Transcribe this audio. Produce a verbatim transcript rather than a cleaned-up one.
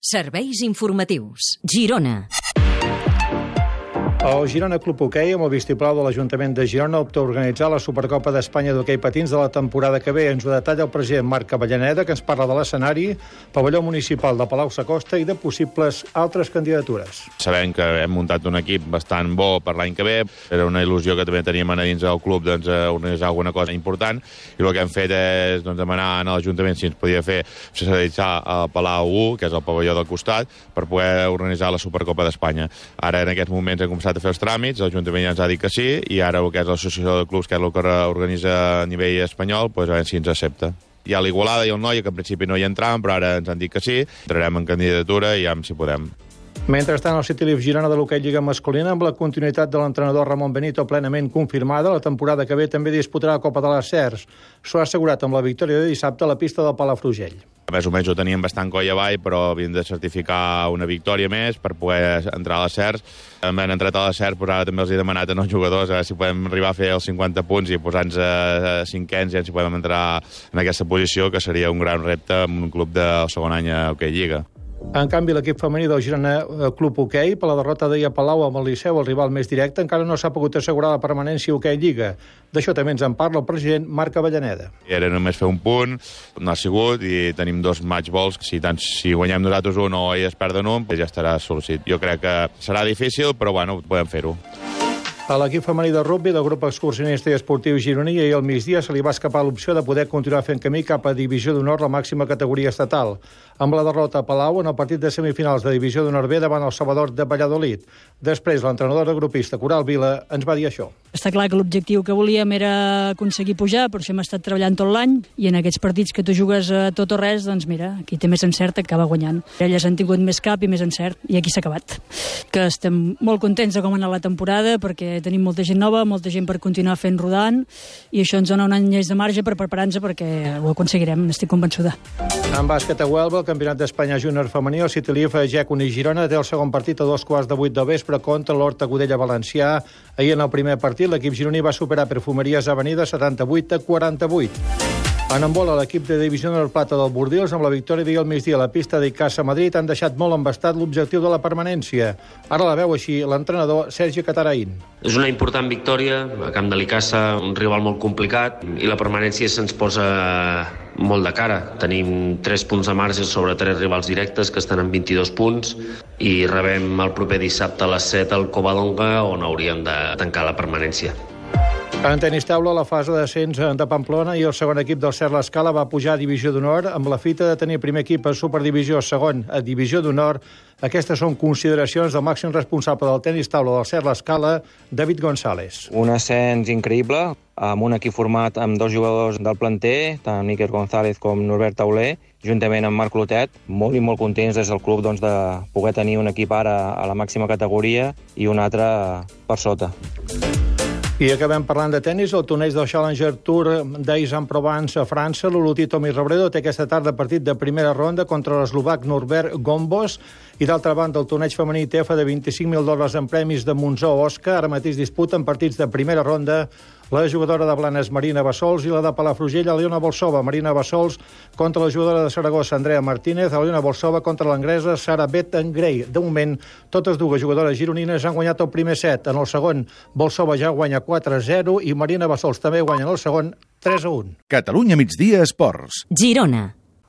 Serveis informatius. Girona. El Girona Club Hoquei, amb el vistiplau de l'Ajuntament de Girona, opta a organitzar la Supercopa d'Espanya d'hoquei patins de la temporada que ve. Ens ho detalla el president Marc Avellaneda, que ens parla de l'escenari, pavelló municipal de Palau-sacosta i de possibles altres candidatures. Sabem que hem muntat un equip bastant bo per l'any que ve. Era una il·lusió que també teníem a dins del club, doncs, organitzar alguna cosa important, i el que hem fet és doncs, demanar a l'Ajuntament si ens podia fer socialitzar al Palau u, que és el pavelló del costat, per poder organitzar la Supercopa d'Espanya. Ara, en aquests moments, hem començat a fer els tràmits, l'Ajuntament ja ens ha dit que sí, i ara el que és l'associació de clubs, que és el que organitza a nivell espanyol, doncs a veure si ens accepta. Hi ha l'Igualada i el Noia, que en principi no hi entraven, però ara ens han dit que sí, entrarem en candidatura i ja si podem. Mentrestant, el City Leaf Girona de l'hoquei Lliga masculina, amb la continuïtat de l'entrenador Ramon Benito plenament confirmada, la temporada que ve també disputarà la Copa de les Cers. S'ho ha assegurat amb la victòria de dissabte a la pista del Palafrugell. Més o menys ho teníem bastant coll avall, però havíem de certificar una victòria més per poder entrar a les Cers. Hem entrat a les Cers, però ara també els he demanat als jugadors a veure si podem arribar a fer els cinquanta punts i posar-nos a cinquens i si podem entrar en aquesta posició, que seria un gran repte en un club de segon any a hoquei Lliga. En canvi, l'equip femení del Girona Club Hoquei, per la derrota d'ahir a Palau amb el Liceu, el rival més directe, encara no s'ha pogut assegurar la permanència a hoquei Lliga. D'això també ens en parla el president Marc Avellaneda. Era només fer un punt, no ha sigut, i tenim dos match balls. Si, tant, si guanyem nosaltres un o ells perden un, ja estarà sol·licit. Jo crec que serà difícil, però bueno, podem fer-ho. A l'equip femení de rugby del grup excursionista i esportiu gironí, ahir al migdia se li va escapar l'opció de poder continuar fent camí cap a Divisió d'Honor, la màxima categoria estatal, amb la derrota a Palau en el partit de semifinals de Divisió d'Honor B davant el Salvador de Valladolid. Després, l'entrenadora grupista Coral Vila ens va dir això. Està clar que l'objectiu que volíem era aconseguir pujar, per això hem estat treballant tot l'any, i en aquests partits que tu jugues a tot o res, doncs mira, qui té més encert acaba guanyant. Elles han tingut més cap i més encert, i aquí s'ha acabat. Que estem molt contents de com ha anat la temporada, perquè tenim molta gent nova, molta gent per continuar fent rodant, i això ens dona un any més de marge per preparar-nos perquè ho aconseguirem, n'estic convençuda. En bàsquet a Huelva, el Campionat d'Espanya Júnior femení, el City Leaf Gècon i Girona té el segon partit a dos quarts de vuit del vespre contra l'Horta Godella Valencià. Ahir en el primer partit l'equip gironí va superar Perfumeries Avenida setanta-vuit a quaranta-vuit. En handbol, l'equip de Divisió d'Honor Plata del Bordils, amb la victòria d'ahir al migdia a la pista d'Icasa Madrid, han deixat molt embastat l'objectiu de la permanència. Ara la veu així l'entrenador Sergi Cataraín. És una important victòria a camp de l'Icasa, un rival molt complicat, i la permanència se'ns posa molt de cara. Tenim tres punts de marge sobre tres rivals directes que estan en vint-i-dos punts i rebem el proper dissabte a les set al Covadonga, on hauríem de tancar la permanència. En tenis taula, la fase d'ascens de Pamplona i el segon equip del Cert l'Escala va pujar a Divisió d'Honor amb la fita de tenir primer equip a Superdivisió, segon a Divisió d'Honor. Aquestes són consideracions del màxim responsable del tenis taula del Cert l'Escala, David González. Un ascens increïble, amb un equip format amb dos jugadors del planter, tant Iker González com Norbert Tauler, juntament amb Marc Clotet, molt i molt contents des del club doncs, de poder tenir un equip ara a la màxima categoria i un altre per sota. I acabem parlant de tennis. El torneig del Challenger Tour d'Aix-en-Provence a França. L'olotí Tommy Robredo té aquesta tarda partit de primera ronda contra l'eslovac Norbert Gombos. I d'altra banda, el torneig femení T F de vint-i-cinc mil dòlars en premis de Monzó Osca. Ara mateix disputen partits de primera ronda la jugadora de Blanes Marina Bassols i la de Palafrugell Aliona Bolsova. Marina Bassols contra la jugadora de Saragossa Andrea Martínez, Aliona Bolsova contra l'anglesa Sara Bettengrey. De moment, totes dues jugadores gironines han guanyat el primer set. En el segon, Bolsova ja guanya quatre a zero i Marina Bassols també guanya en el segon tres a un. Catalunya migdia Esports. Girona.